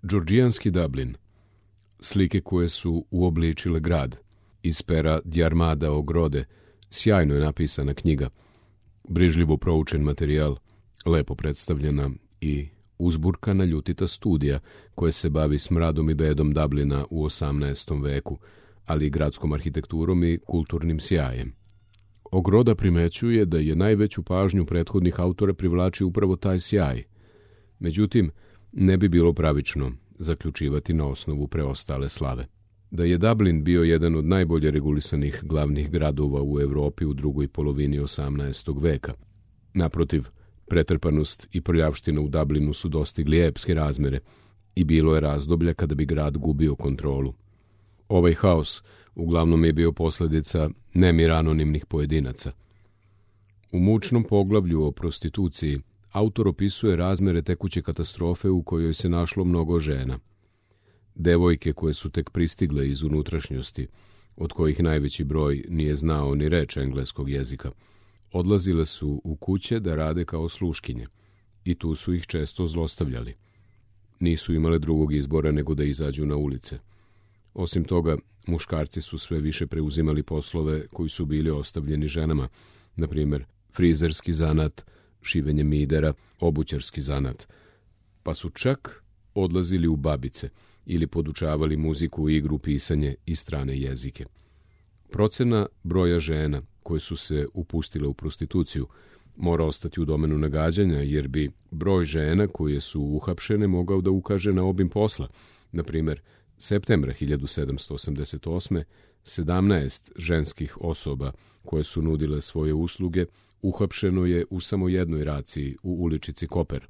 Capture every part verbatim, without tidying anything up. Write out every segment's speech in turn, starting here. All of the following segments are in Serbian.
Džordžijanski Dublin. Slike koje su uobličile grad. Iz pera Djarmada Ogrode. Sjajno je napisana knjiga. Brižljivo proučen materijal, lepo predstavljena i uzburkana ljutita studija koja se bavi smradom i bedom Dublina u osamnaestom veku, ali i gradskom arhitekturom i kulturnim sjajem. Ogroda primećuje da je najveću pažnju prethodnih autora privlači upravo taj sjaj. Međutim, ne bi bilo pravično zaključivati na osnovu preostale slave. Da je Dublin bio jedan od najbolje regulisanih glavnih gradova u Evropi u drugoj polovini osamnaestog veka. Naprotiv, pretrpanost i prljavština u Dublinu su dostigli epske razmere i bilo je razdoblja kada bi grad gubio kontrolu. Ovaj haos uglavnom je bio posljedica nemira anonimnih pojedinaca. U mučnom poglavlju o prostituciji autor opisuje razmere tekuće katastrofe u kojoj se našlo mnogo žena. Devojke koje su tek pristigle iz unutrašnjosti, od kojih najveći broj nije znao ni reč engleskog jezika, odlazile su u kuće da rade kao sluškinje i tu su ih često zlostavljali. Nisu imale drugog izbora nego da izađu na ulice. Osim toga, muškarci su sve više preuzimali poslove koji su bili ostavljeni ženama, na primjer frizerski zanat, šivenje midera, obućarski zanat, pa su čak odlazili u babice ili podučavali muziku, igru, pisanje i strane jezike. Procena broja žena koje su se upustile u prostituciju mora ostati u domenu nagađanja, jer bi broj žena koje su uhapšene mogao da ukaže na obim posla. Na primjer, septembra hiljadu sedamsto osamdeset osme sedamnaest ženskih osoba koje su nudile svoje usluge uhapšeno je u samo jednoj raciji u uličici Koper.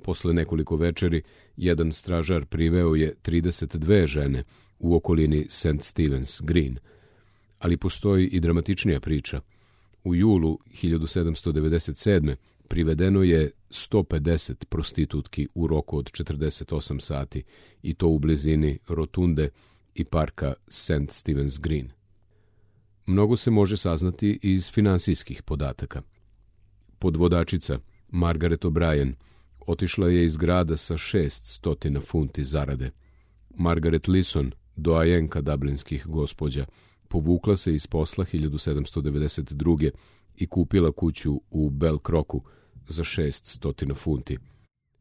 Posle nekoliko večeri, jedan stražar priveo je trideset dve žene u okolini Saint Stephen's Green. Ali postoji i dramatičnija priča. U julu hiljadu sedamsto devedeset sedme privedeno je sto pedeset prostitutki u roku od četrdeset osam sati, i to u blizini rotunde i parka Saint Stephen's Green. Mnogo se može saznati iz finansijskih podataka. Podvodačica Margaret O'Brien otišla je iz grada sa šeststo funti zarade. Margaret Lisson, doajenka dublinskih gospođa, povukla se iz posla hiljadu sedamsto devedeset druge i kupila kuću u Belcrocu za šeststo funti.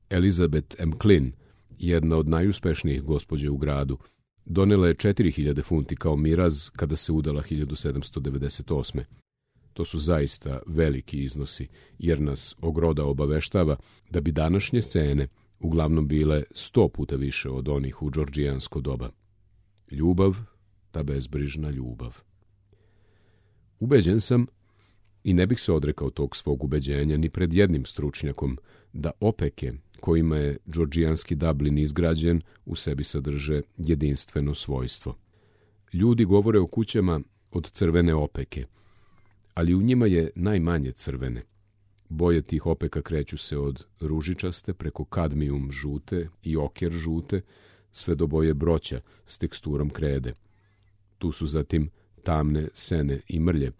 Elizabeth M. Klin, jedna od najuspešnijih gospođa u gradu, donela je četiri hiljade funti kao miraz kada se udala hiljadu sedamsto devedeset osme. To su zaista veliki iznosi, jer nas Ogroda obaveštava da bi današnje scene uglavnom bile sto puta više od onih u džordžijansko doba. Ljubav, ta bezbrižna ljubav. Ubeđen sam, i ne bih se odrekao tog svog ubeđenja ni pred jednim stručnjakom, da opeke kojima je džordžijanski Dublin izgrađen u sebi sadrže jedinstveno svojstvo. Ljudi govore o kućama od crvene opeke, ali u njima je najmanje crvene. Boje tih opeka kreću se od ružičaste preko kadmijum žute i oker žute, sve do boje broća s teksturom krede. Tu su zatim tamne sene i mrlje,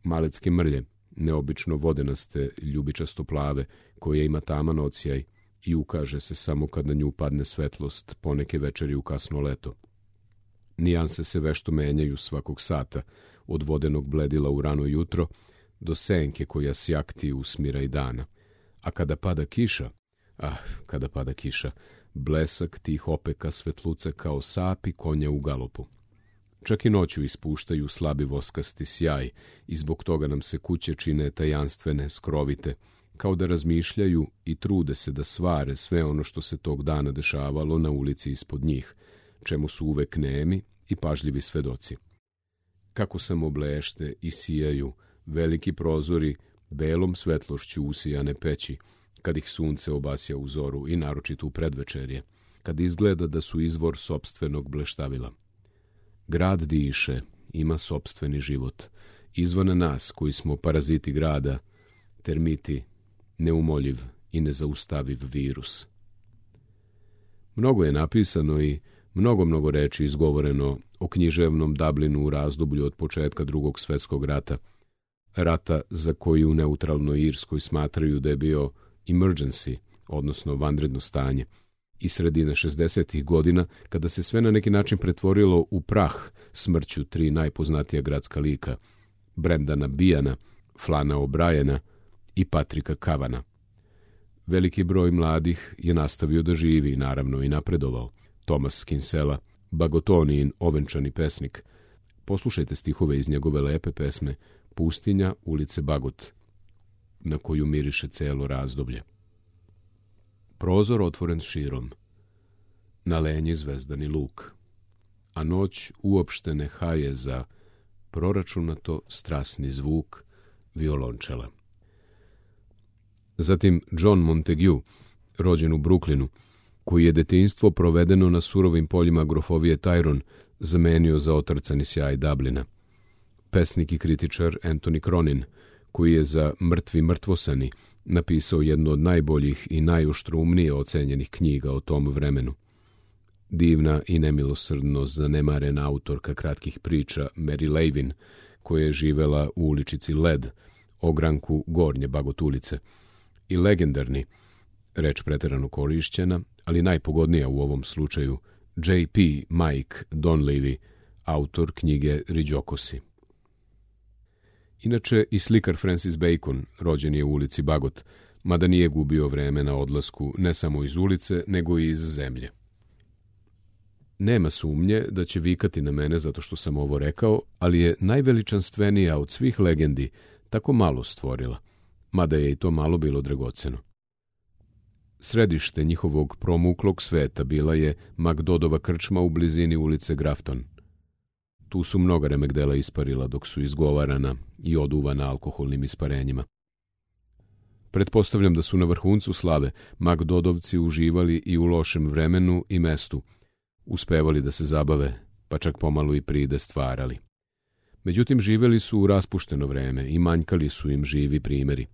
malecke mrlje, neobično vodenaste, ljubičasto plave, koja ima taman ocijaj i ukaže se samo kad na nju padne svetlost poneke večeri u kasno leto. Nijanse se vešto menjaju svakog sata, od vodenog bledila u rano jutro do senke koja sjakti usmira i dana. A kada pada kiša, ah, kada pada kiša, blesak tih opeka svetluce kao sapi konja u galopu. Čak i noću ispuštaju slabi voskasti sjaj i zbog toga nam se kuće čine tajanstvene, skrovite, kao da razmišljaju i trude se da svare sve ono što se tog dana dešavalo na ulici ispod njih, čemu su uvek nemi i pažljivi svedoci. Kako samo blešte i sijaju veliki prozori belom svetlošću usijane peći, kad ih sunce obasja u zoru i naročito u predvečerje, kad izgleda da su izvor sopstvenog bleštavila. Grad diše, ima sopstveni život, izvan nas koji smo paraziti grada, termiti, neumoljiv i nezaustaviv virus. Mnogo je napisano i mnogo, mnogo reči izgovoreno o književnom Dublinu u razdoblju od početka Drugog svjetskog rata, rata za koji u neutralnoj Irskoj smatraju da je bio emergency, odnosno vanredno stanje, i sredine šezdesetih godina, kada se sve na neki način pretvorilo u prah smrću tri najpoznatija gradska lika, Brendana Beana, Flana O'Briena i Patrika Cavana. Veliki broj mladih je nastavio da živi, naravno i napredovao. Thomas Kinsella, Bagotonijin ovenčani pesnik. Poslušajte stihove iz njegove lepe pesme Pustinja, ulice Bagot, na koju miriše celo razdoblje. Prozor otvoren širom, na lenji zvezdani luk, a noć uopšte ne haje za proračunato strasni zvuk violončela. Zatim John Montague, rođen u Brooklynu, koji je detinjstvo provedeno na surovim poljima grofovije Tyrone zamenio za otrcani sjaj Dublina. Pesnik i kritičar Anthony Cronin, koji je za Mrtvi mrtvosani napisao jednu od najboljih i najoštroumnije ocenjenih knjiga o tom vremenu. Divna i nemilosrdno zanemarena autorka kratkih priča Mary Levin, koja je živela u uličici Led, ogranku Gornje Bagot ulice, i legendarni, reč preterano korišćena, ali najpogodnija u ovom slučaju, J P Mike Donlevy, autor knjige Riđokosi. Inače, i slikar Francis Bacon, rođen je u ulici Bagot, mada nije gubio vreme na odlasku ne samo iz ulice, nego i iz zemlje. Nema sumnje da će vikati na mene zato što sam ovo rekao, ali je najveličanstvenija od svih legendi tako malo stvorila, mada je i to malo bilo dragoceno. Središte njihovog promuklog sveta bila je Magdodova krčma u blizini ulice Grafton. Tu su mnoga remegdela isparila dok su izgovarana i oduvana alkoholnim isparenjima. Pretpostavljam da su na vrhuncu slave Magdodovci uživali i u lošem vremenu i mestu, uspevali da se zabave, pa čak pomalo i pride stvarali. Međutim, živeli su u raspušteno vreme i manjkali su im živi primjeri.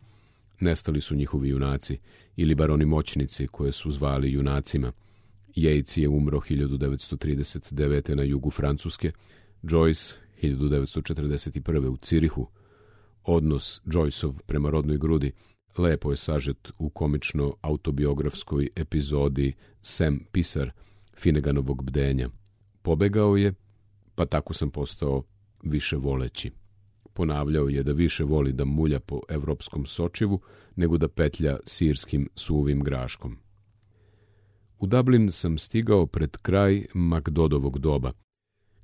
Nestali su njihovi junaci, ili bar oni moćnici koje su zvali junacima. Yeats je umro hiljadu devetsto trideset devete na jugu Francuske, Joyce hiljadu devetsto četrdeset prve u Cirihu. Odnos Joyceov prema rodnoj grudi lepo je sažet u komično-autobiografskoj epizodi Sam Pisar, Finneganovog bdenja. Pobegao je, pa tako sam postao više voleći. Ponavljao je da više voli da mulja po evropskom sočivu nego da petlja sirskim suvim graškom. U Dublin sam stigao pred kraj Magdodovog doba,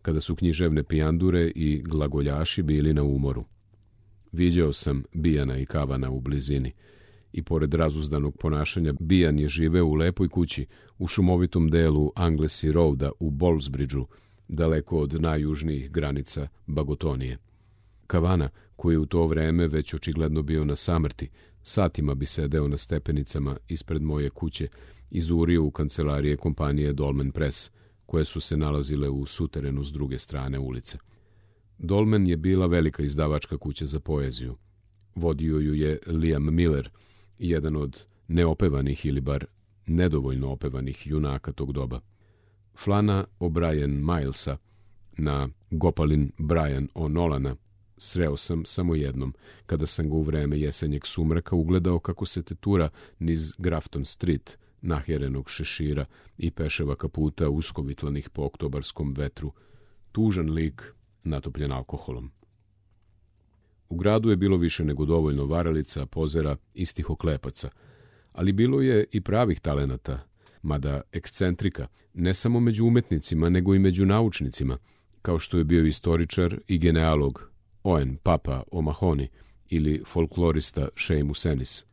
kada su književne pijandure i glagoljaši bili na umoru. Viđao sam Beana i Cavana u blizini i pored razuzdanog ponašanja Bean je živeo u lepoj kući u šumovitom delu Anglesey Roada u Ballsbridgeu, daleko od najjužnijih granica Bagotonije. Cavana, koji je u to vreme već očigledno bio na samrti, satima bi sedeo na stepenicama ispred moje kuće i zurio u kancelarije kompanije Dolmen Press, koje su se nalazile u suterenu s druge strane ulice. Dolmen je bila velika izdavačka kuća za poeziju. Vodio ju je Liam Miller, jedan od neopevanih ili bar nedovoljno opevanih junaka tog doba. Flana O'Brien Milesa na Gopalin Brian O'Nolana sreo sam samo jednom, kada sam ga u vreme jesenjeg sumraka ugledao kako se tetura niz Grafton Street, nahjerenog šešira i peševa kaputa uskovitlanih po oktobarskom vetru, tužan lik natopljen alkoholom. U gradu je bilo više nego dovoljno varalica, pozera i stihoklepaca, ali bilo je i pravih talenata, mada ekscentrika, ne samo među umetnicima, nego i među naučnicima, kao što je bio istoričar i genealog Owen Papa O'Mahony ili folklorista Seamus Ennis.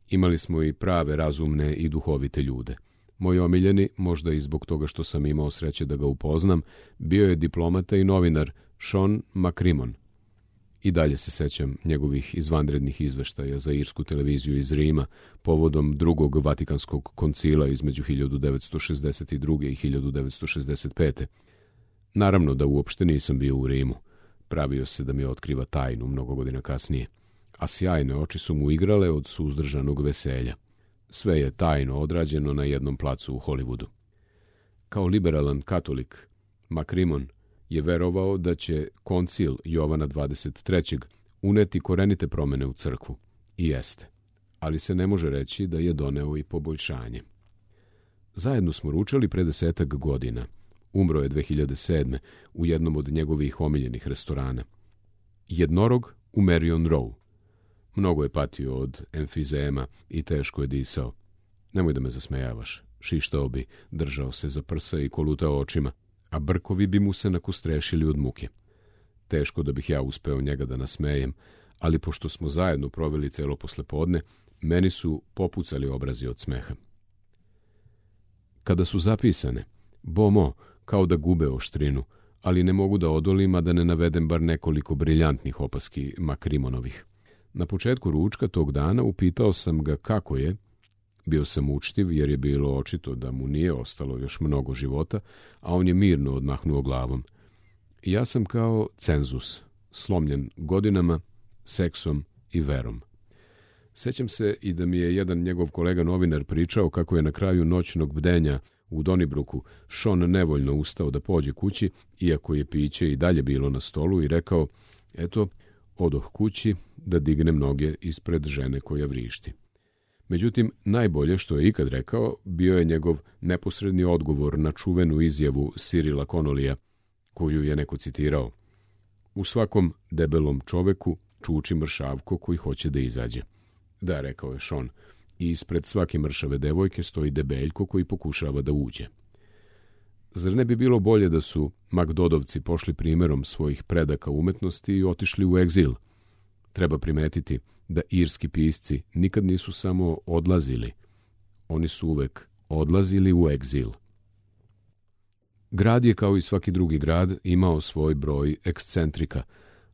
Imali smo i prave, razumne i duhovite ljude. Moj omiljeni, možda i zbog toga što sam imao sreće da ga upoznam, bio je diplomata i novinar Sean McCrimmon. I dalje se sećam njegovih izvanrednih izveštaja za irsku televiziju iz Rima povodom drugog Vatikanskog koncila između hiljadu devetsto šezdeset druge i hiljadu devetsto šezdeset pete. Naravno da uopšte nisam bio u Rimu. Pravio se da mi otkriva tajnu mnogo godina kasnije, a sjajne oči su mu igrale od suzdržanog veselja. Sve je tajno odrađeno na jednom placu u Hollywoodu. Kao liberalan katolik, McCrimmon je verovao da će koncil Jovana dvadeset trećeg uneti korenite promene u crkvu. I jeste, ali se ne može reći da je doneo i poboljšanje. Zajedno smo ručali pre desetak godina. Umro je dve hiljade sedme u jednom od njegovih omiljenih restorana. Jednorog u Marion Row. Mnogo je patio od emfizema i teško je disao. Nemoj da me zasmejavaš. Šištao bi, držao se za prsa i kolutao očima, a brkovi bi mu se nakustrešili od muke. Teško da bih ja uspeo njega da nasmejem, ali pošto smo zajedno proveli celo poslepodne, meni su popucali obrazi od smeha. Kada su zapisane, bomo, kao da gube oštrinu, ali ne mogu da odolim, a da ne navedem bar nekoliko briljantnih opaski Makrimonovih. Na početku ručka tog dana upitao sam ga kako je. Bio sam učtiv jer je bilo očito da mu nije ostalo još mnogo života, a on je mirno odmahnuo glavom. Ja sam kao cenzus, slomljen godinama, seksom i verom. Sećam se i da mi je jedan njegov kolega novinar pričao kako je na kraju noćnog bdenja u Donibruku Sean nevoljno ustao da pođe kući, iako je piće i dalje bilo na stolu, i rekao, eto, odoh kući da dignem noge ispred žene koja vrišti. Međutim, najbolje što je ikad rekao bio je njegov neposredni odgovor na čuvenu izjavu Cyrila Connollyja, koju je neko citirao. U svakom debelom čoveku čuči mršavko koji hoće da izađe. Da, rekao je Sean, i ispred svake mršave devojke stoji debeljko koji pokušava da uđe. Zar ne bi bilo bolje da su Magdodovci pošli primjerom svojih predaka umetnosti i otišli u egzil? Treba primetiti da irski pisci nikad nisu samo odlazili, oni su uvek odlazili u egzil. Grad je, kao i svaki drugi grad, imao svoj broj ekscentrika,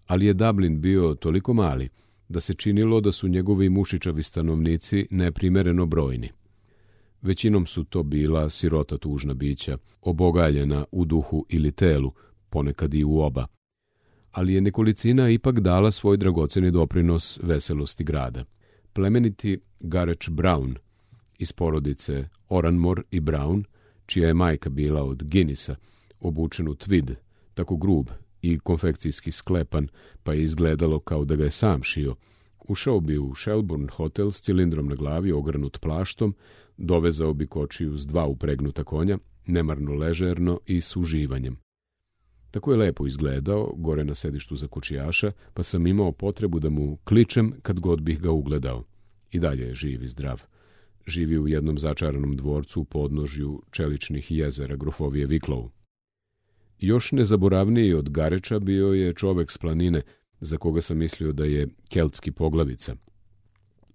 ali je Dublin bio toliko mali da se činilo da su njegovi mušičavi stanovnici neprimereno brojni. Većinom su to bila sirota tužna bića, obogaljena u duhu ili telu, ponekad i u oba. Ali je nekolicina ipak dala svoj dragoceni doprinos veselosti grada. Plemeniti Gareth Brown iz porodice Oranmore i Brown, čija je majka bila od Guinnessa, obučen u tvid, tako grub i konfekcijski sklepan, pa je izgledalo kao da ga je sam šio, ušao bi u Shelbourne hotel s cilindrom na glavi ogrnut plaštom, dovezao bi kočiju s dva upregnuta konja, nemarno ležerno i s uživanjem. Tako je lepo izgledao, gore na sedištu za kočijaša, pa sam imao potrebu da mu kličem kad god bih ga ugledao. I dalje je živ i zdrav. Živi u jednom začaranom dvorcu u podnožju čeličnih jezera grofovije Wicklow. Još nezaboravniji od Gareča bio je čovek s planine, za koga sam mislio da je keltski poglavica.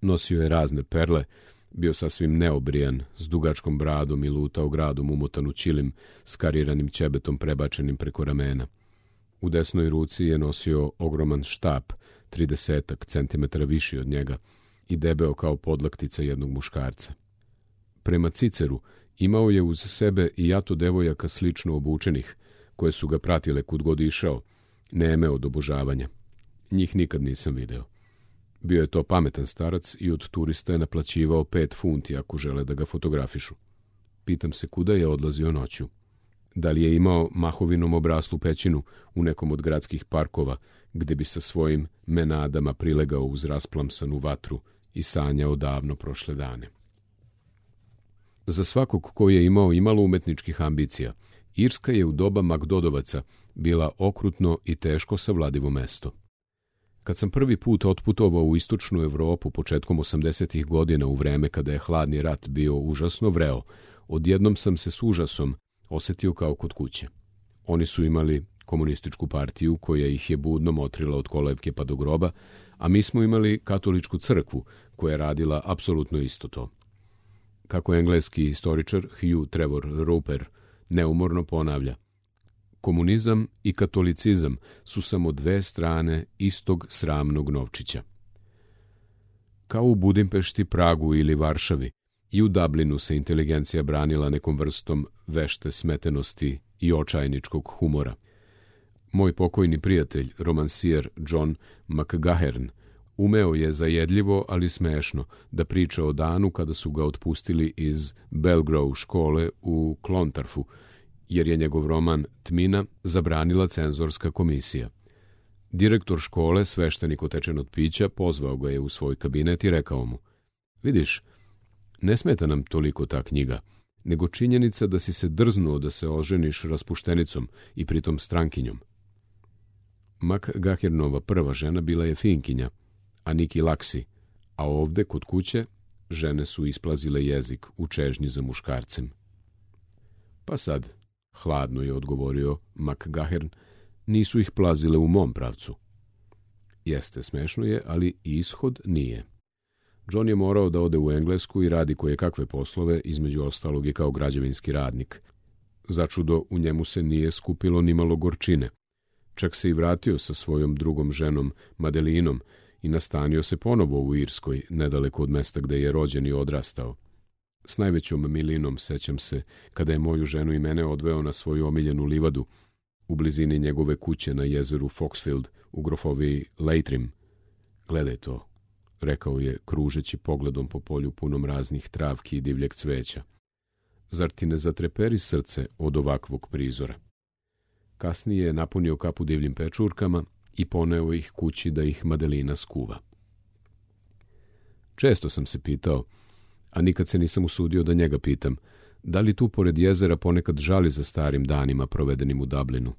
Nosio je razne perle, bio sasvim neobrijan, s dugačkom bradom i lutao gradom umotan u ćilim, s kariranim ćebetom prebačenim preko ramena. U desnoj ruci je nosio ogroman štap, tridesetak centimetara viši od njega, i debeo kao podlaktica jednog muškarca. Prema Ciceru imao je uz sebe i jato devojaka slično obučenih, koje su ga pratile kud god išao, neme od obožavanja. Njih nikad nisam video. Bio je to pametan starac i od turista je naplaćivao pet funti ako žele da ga fotografišu. Pitam se kuda je odlazio noću. Da li je imao mahovinom obraslu pećinu u nekom od gradskih parkova, gde bi sa svojim menadama prilegao uz rasplamsanu vatru i sanjao davno prošle dane. Za svakog koji je imao imalo umetničkih ambicija, Irska je u doba Magdodovaca bila okrutno i teško savladivo mesto. Kad sam prvi put otputovao u istočnu Evropu početkom osamdesetih godina u vreme kada je hladni rat bio užasno vreo, odjednom sam se s užasom osetio kao kod kuće. Oni su imali komunističku partiju koja ih je budno motrila od kolevke pa do groba, a mi smo imali katoličku crkvu koja je radila apsolutno isto to. Kako engleski istoričar Hugh Trevor Roper neumorno ponavlja, komunizam i katolicizam su samo dve strane istog sramnog novčića. Kao u Budimpešti, Pragu ili Varšavi, i u Dublinu se inteligencija branila nekom vrstom vešte smetenosti i očajničkog humora. Moj pokojni prijatelj, romansijer John McGahern, umeo je zajedljivo, ali smešno, da priča o danu kada su ga otpustili iz Belgrove škole u Clontarfu, jer je njegov roman Tmina zabranila cenzorska komisija. Direktor škole, sveštenik otečen od pića, pozvao ga je u svoj kabinet i rekao mu: "Vidiš, ne smeta nam toliko ta knjiga. nego činjenica da si se drznuo da se oženiš raspuštenicom i pritom strankinjom. McGahernova prva žena bila je Finkinja, a Niki Laksi, a ovde, kod kuće, žene su isplazile jezik u čežnji za muškarcem. Pa sad, hladno je odgovorio McGahern, nisu ih plazile u mom pravcu. Jeste, smešno je, ali ishod nije. John je morao da ode u Englesku i radi koje kakve poslove, između ostalog i kao građevinski radnik. Začudo, u njemu se nije skupilo ni malo gorčine. Čak se i vratio sa svojom drugom ženom, Madelinom, i nastanio se ponovo u Irskoj, nedaleko od mesta gde je rođen i odrastao. S najvećom milinom sećam se kada je moju ženu i mene odveo na svoju omiljenu livadu, u blizini njegove kuće na jezeru Foxfield u grofoviji Leitrim. Gledaj to, rekao je, kružeći pogledom po polju punom raznih travki i divljeg cveća. Zar ti ne zatreperi srce od ovakvog prizora? Kasnije je napunio kapu divljim pečurkama i poneo ih kući da ih Madelina skuva. Često sam se pitao, a nikad se nisam usudio da njega pitam, da li tu pored jezera ponekad žali za starim danima provedenim u Dublinu.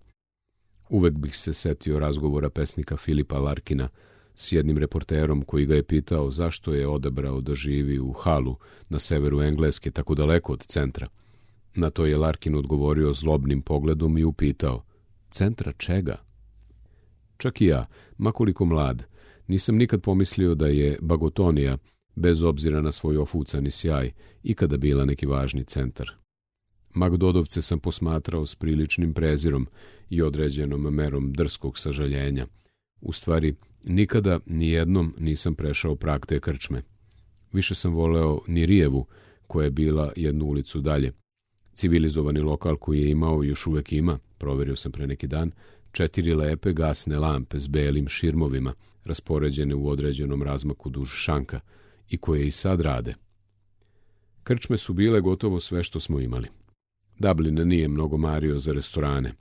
Uvek bih se setio razgovora pesnika Filipa Larkina s jednim reporterom koji ga je pitao zašto je odabrao da živi u Hallu na severu Engleske, tako daleko od centra. Na to je Larkin odgovorio zlobnim pogledom i upitao, centra čega? Čak i ja, makoliko mlad, nisam nikad pomislio da je Bagotonija, bez obzira na svoj ofucani sjaj, ikada bila neki važni centar. Magdodovce sam posmatrao s priličnim prezirom i određenom merom drskog sažaljenja. U stvari, nikada nijednom nisam prešao prag te krčme. Više sam voleo Nirijevu, koja je bila jednu ulicu dalje. Civilizovani lokal koji je imao i još uvek ima, proverio sam pre neki dan, četiri lepe gasne lampe s belim širmovima, raspoređene u određenom razmaku duž šanka, i koje i sad rade. Krčme su bile gotovo sve što smo imali. Dublin nije mnogo mario za restorane.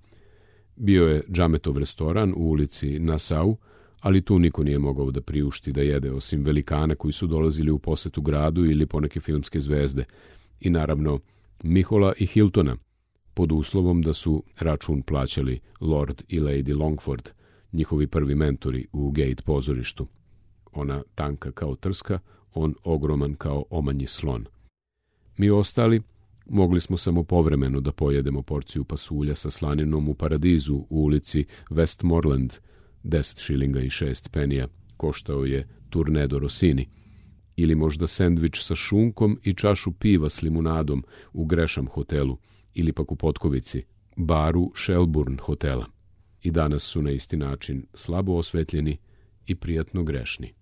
Bio je Džametov restoran u ulici Nassau, ali tu niko nije mogao da priušti da jede, osim velikana koji su dolazili u posetu gradu ili poneke filmske zvezde, i naravno Mihola i Hiltona, pod uslovom da su račun plaćali Lord i Lady Longford, njihovi prvi mentori u Gate pozorištu. Ona tanka kao trska, on ogroman kao omanji slon. Mi ostali mogli smo samo povremeno da pojedemo porciju pasulja sa slaninom u Paradizu u ulici Westmoreland, deset šilinga i šest penija, koštao je Turnedo Rossini, ili možda sendvič sa šunkom i čašu piva s limunadom u Gresham hotelu, ili pak u Potkovici, baru Shelburne hotela. I danas su na isti način slabo osvetljeni i prijatno grešni.